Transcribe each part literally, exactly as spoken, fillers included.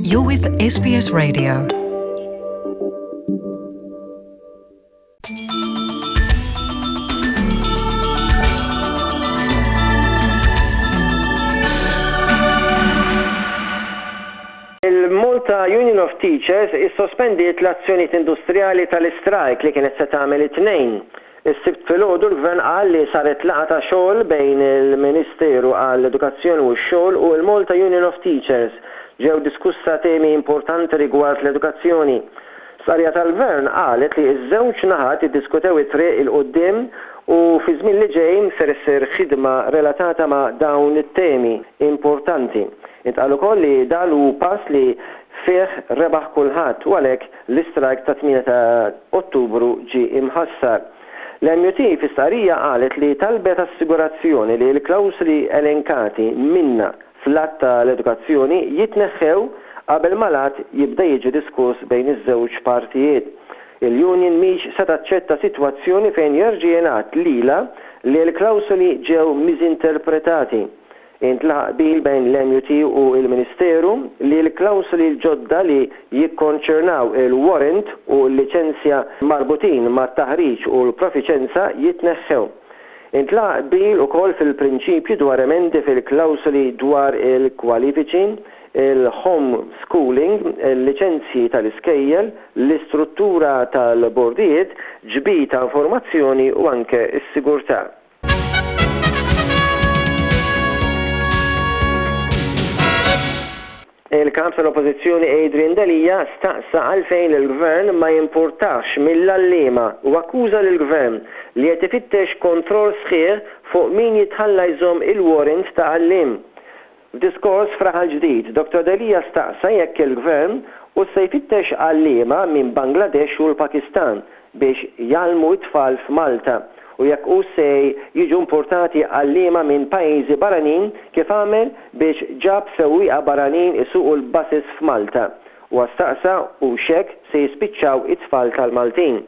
You're with S B S Radio. Il-Malta Union of Teachers issospendiet l-azzjonijiet industrijali tal-istrajk li kienet se tagħmel it-Tnejn. Is-Sibt filgħodu l-Gvern qal li saret laqgħa ta' xogħol bejn il-Ministeru għall-Edukazzjoni u x-Xogħol u l-Malta Union of Teachers. Ġew diskussa temi importanti rigward l-edukazzjoni. Stqarrija tal-Gvern qalet li ż-żewġ naħat iddiskutew it-triq 'il quddiem u fi żmien li ġej ser issir ħidma relatata ma' dawn it-temi importanti. Intqal ukoll li dan hu pass li fih rebaħ kulħadd u għalhekk l-istrajk ta' tmienja ta' Ottubru ġie imħassar. L-M U T fi stqarrija qalet li talbet assigurazzjoni li l-klawsuli elenkati minna fl-att tal-edukazzjoni jitneħħew qabel ma l-att jibda jiġi diskuss bejn iż-żewġ partijiet. Il-union mhix se taċċetta sitwazzjoni fejn jerġa' jingħad lilha li l-klawsuli ġew miżinterpretati. Intlaħaq qbil bejn l-M U T u l-Ministeru li l-klawsuli l-ġodda li jikkonċernaw il-warrant u l-liċenzja marbutin mat-taħriġ u l-profiċenza jitneħħew. Intlaħaq qbil ukoll fil-prinċipju dwar emendi fil-klawsuli dwar il-kwalifiċi, il-home schooling, il-liċenzji tal-iskejjel, l-istruttura tal-bordijiet, ġbir ta' informazzjoni u anke s-sigurtà. Il-kap tal-Oppożizzjoni Adrian Delia staqsa għalfejn il-Gvern ma jimpurtax mill-għalliema u akkuża lill-Gvern li qed ifittex kontroll sħiħ fuq min jitħalla jżomm il-warrant ta' għalliem. F'diskors f'Raħal Ġdid, Dottor Delia staqsa jekk il-Gvern u se jfittex għalliema minn Bangladesh u l-Pakistan biex jgħallmu it-tfal f'Malta u jekk u se jiġu importati għalliema minn pajjiżi barranin kif għamel biex ġab sewwieqa barranin isuqu l-buses f'Malta. U staqsa u hekk se jispiċċaw it-tfal tal-Maltin.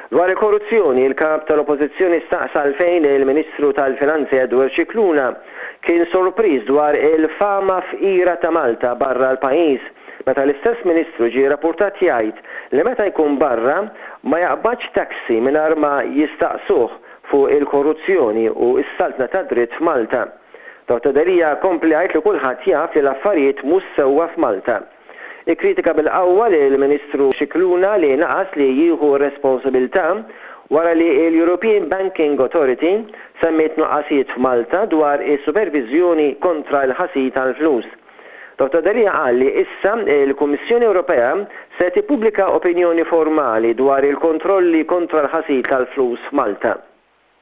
Dwar il-korruzzjoni, il-kap tal-Oppożizzjoni staqsa għalfejn il-Ministru tal-Finanzi Edward Scicluna kien sorpriż dwar il-fama fqira ta' Malta barra l-pajjiż, meta l-istess ministru ġie rapportat jgħid li meta jkun barra ma jaqbadx taxi mingħajr ma jistaqsuh fuq il-korruzzjoni u s-saltna ta' dritt f'Malta. Dottor Delia kompla jgħid li kulħadd jaf li l-affarijiet mhux sewwa f'Malta. Ikkritika bil-qawwa li l-Ministru Scicluna li naqas li jieħu responsabilità wara li l-European Banking Authority semmiet nuqqasijiet f'Malta dwar is-supervizjoni kontra l-ħasil tal-flus. Dottor Delia qal li issa il-Kummissjoni Ewropea se tippubblika opinjoni formali dwar il-kontrolli kontra l-ħasil tal-flus f'Malta.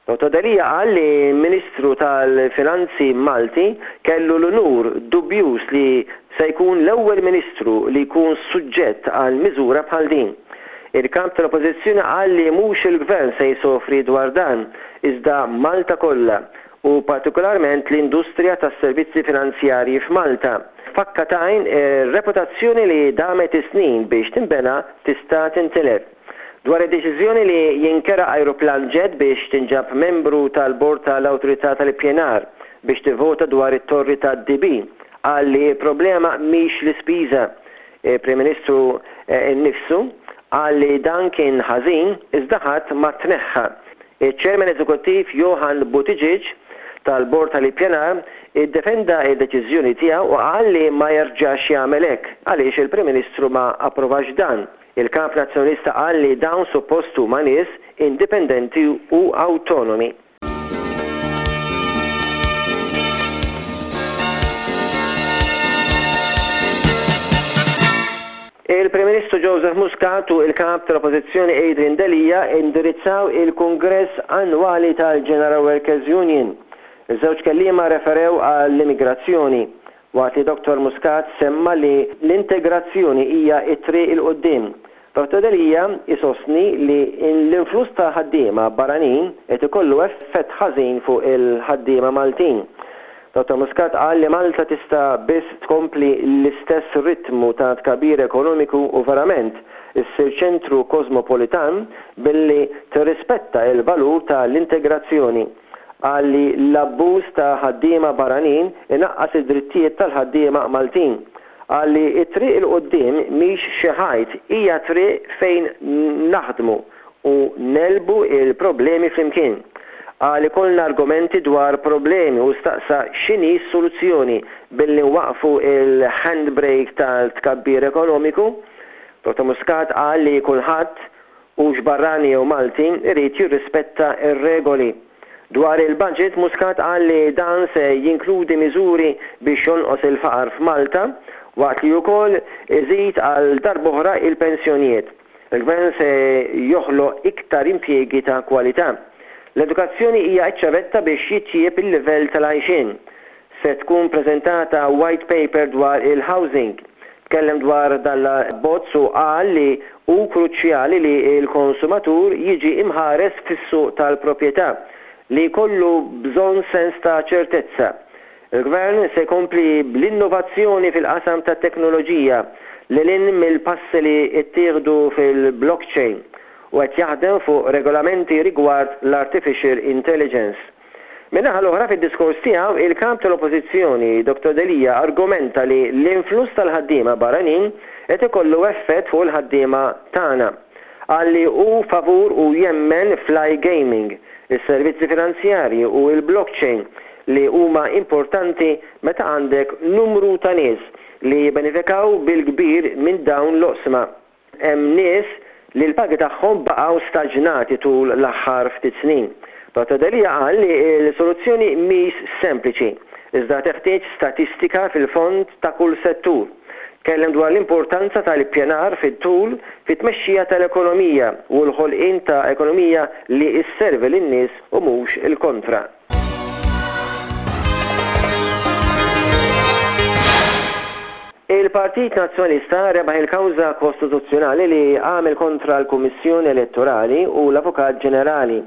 Dottor Delia qal li Ministru tal-Finanzi Malti kellu l-unur dubjus li se jkun l-ewwel ministru li jkun suġġett għal miżura bħal din. Il-kap tal-Oppożizzjoni qal li mhux il-Gvern se jsofri dwar dan, iżda Malta kollha u partikolarment l-industrija tas-servizzi finanzjarji f'Malta. F'daqqa t'għajn ir-reputazzjoni li damet snin biex tinbena tista' tintilef. Dwar id-deċiżjoni li jinkera aeroplan jet biex tinġab membru tal-bord tal-Awtorità tal-Ippjanar biex tivvota dwar it-torri tad-D B, qal li problema mhix l-ispiża. Il-Prim Ministru eh, innifsu qal li dan kien ħażin iżda ħadd ma tneħħa. Il-Chairman Eżekuttiv Johann Buttigieg tal-Bord tal-Ippjanar iddefenda id-deċiżjoni tiegħu u qal li ma jerġax jagħmel hekk għaliex il-Prim Ministru ma approvax dan. Il-kap nazzjonalista qal li dawn suppost huma nies indipendenti u awtonomi. Il-Prim Ministru Joseph Muscat u il-kap tal-Oppożizzjoni Adrian Delia indirizzaw il-Kungress Annwali tal-General Workers Union. Iż-żewġ kelliema referew għall-immigrazzjoni, waqt li Dottor Muscat semma li l-integrazzjoni hija it-triq 'il quddiem. Dottor Delia isostni li l-influss ta' ħaddiema barranin qed ikollu effett ħażin fuq il-ħaddiema Maltin. Dottor Muscat qal li Malta tista' biss tkompli l-istess ritmu ta' tkabbir ekonomiku u verament issir ċentru kosmopolitan billi tirrispetta il-valur tal-integrazzjoni. Qal li l-abbuż ta' ħaddiema barranin inaqqas id-drittijiet tal-ħaddiema Maltin. Qal li t-triq 'il quddiem mhix xi ħajt, hija triq fejn naħdmu u negħlbu il-problemi flimkien. Qal ikollna argumenti dwar problemi u staqsa x'inhi s-soluzzjoni billi nwaqfu il-handbrake tal-tkabbir ekonomiku. Dottor Muscat qal li kulħadd, hux barrani jew Malti, irid jirrispetta ir-regoli. Dwar il-budget, Muscat qal li dan se jinkludi miżuri biex jonqos il-faqar f'Malta, waqt li wkoll iżid għal darb'oħra il-pensjonijiet. Il-gvern se joħloq iktar impjiegi ta' kwalità. L-edukazzjoni hija ċ-ċavetta biex jitjieb il-livell tal-għajxien. Se tkun preżentata white paper dwar il-housing. Tkellem dwar dal-abbozz u qal li hu kruċjali li l-konsumatur jiġi imħares fis-suq tal-proprjetà, li jkollu bżonn sens ta' ċertezza. Il-gvern se jkompli bl-innovazzjoni fil-qasam ta' teknoloġija lil hinn mill-passi li ttieħdu fil-blockchain u qed jaħdem fuq regolamenti rigward l-artificial intelligence. Min-naħa l-oħra, fid-diskors tiegħu, il-kap tal-Oppożizzjoni Dottor Delia argumenta li l-influss tal-ħaddiema barranin qed ikollu effett fuq il-ħaddiema tagħna. Qal li hu favur u jemmen fl-iGaming, is-servizzi finanzjarji u l-blockchain, li huma importanti meta għandek numru ta' nies li jibbenefikaw bil-kbir minn dawn l-oqsma. Hemm nies li l-pagi tagħhom baqgħu staġnati tul l-aħħar ftit snin. Dottor Delia qal li l-soluzzjoni mhix sempliċi, iżda teħtieġ statistika fil-fond ta' kull settur. Tkellem dwar l-importanza tal-ippjanar fit-tul fit-tmexxija tal-ekonomija u l-ħolqien ta' ekonomija li sservi lin-nies u mhux il-kontra. Il-Partit Nazzjonalista rebaħ il-kawża kostituzzjonali li għamel kontra l-Kummissjoni Elettorali u l-Avukat Ġenerali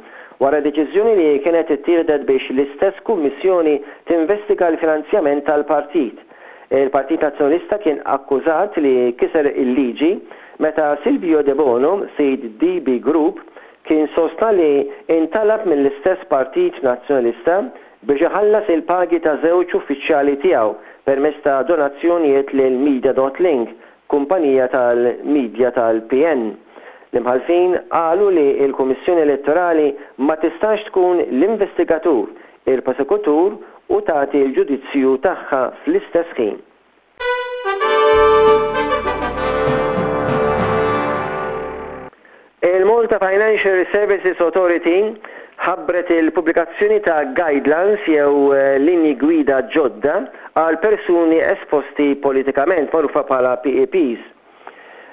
wara deċiżjoni li kienet ittieħdet biex l-istess kummissjoni tinvestiga l-finanzjament tal-partit. Il-Partit Nazzjonalista kien akkużat li kiser il-liġi meta Silvio Debono, sid D B Group, kien sostna li intalab mill-istess Partit Nazzjonalista biex iħallas il-pagi ta' żewġ uffiċjali tiegħu permezz ta' donazzjonijiet lil Media dot Link, kumpanija tal-media tal-P N. L-imħalfin qalu li l-Kummissjoni Elettorali ma tistax tkun l-investigatur, il-prosekutur u tagħti l-ġudizzju tagħha fl-istess ħin. Il-Malta Financial Services Authority ħabbret il-pubblikazzjoni ta' guidelines jew eh, linji gwida ġodda għal persuni esposti politikament, magħrufa bħala P E Ps.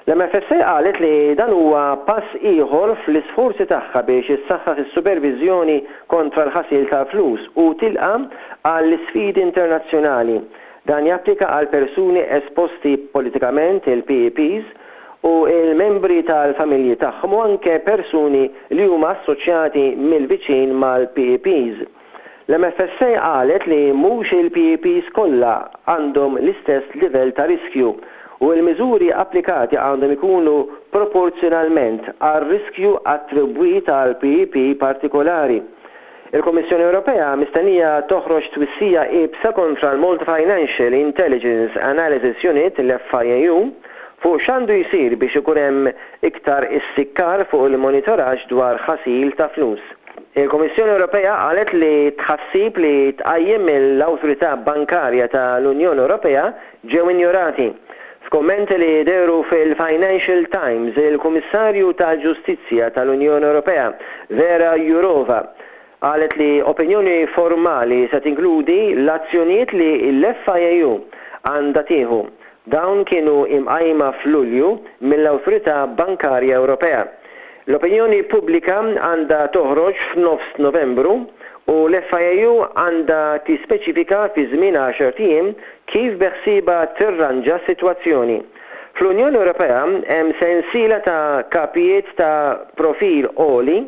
L-M F S A qalet li dan huwa pass ieħor fl-isforzi tagħha biex issaħħaħ is-supervizjoni kontra l-ħasil tal-flus u tilqa' għall-isfidi internazzjonali. Dan japplika għal persuni esposti politikament, il-P E Ps, u il-membri tal-familji tagħhom u anke persuni li huma assoċjati mill-viċin mal-P E Ps. L-M F S A qalet li mhux il-P E Ps kollha għandhom l-istess livell ta' riskju u l-miżuri applikati għandhom ikunu proporzjonalment għal riskju attribwit għal P E P partikolari. Il-Kommissjoni Ewropea mistennija toħroġ twissija iebsa kontra l-Malta Financial Intelligence Analysis Unit, l-F I A U, fuq x'għandu jsir biex ikun hemm iktar issikkar fuq il-monitoraġġ dwar ħasil ta' flus. Il-Kommissjoni Ewropea qalet li tħassib li tqajjem mill-Awtorità Bankarja tal-Unjoni Ewropea ġew injorati. F'kommenti li dehru fil-Financial Times, il-Kummissarju tal-Ġustizzja tal-Unjoni Ewropea, Vera Jourova, qalet li opinjoni formali se tinkludi l-azzjonijiet li l-F I A U għandha tieħu. Dawn kienu imqajma f'Lulju mill-Awtorità Bankarja Ewropea. L-opinjoni pubblika għandha toħroġ f'nofs Novembru u l-F I A U għandha tispeċifika fi żmien għaxart ijiem kif beħsiebha tirranġa s-sitwazzjoni. Fl-Unjoni Ewropea hemm sensiela ta' kapijiet ta' profil għoli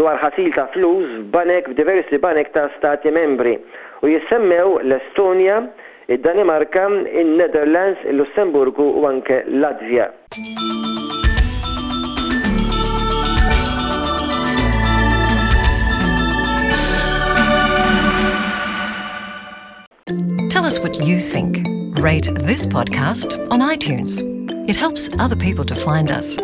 dwar ħasil ta' flus f'banek f'diversi banek ta' stati membri u jissemmew l-Estonja, id-Danimarka, il-Netherlands, il-Lussemburgu u anke Latvja. Tell us what you think. Rate this podcast on iTunes. It helps other people to find us.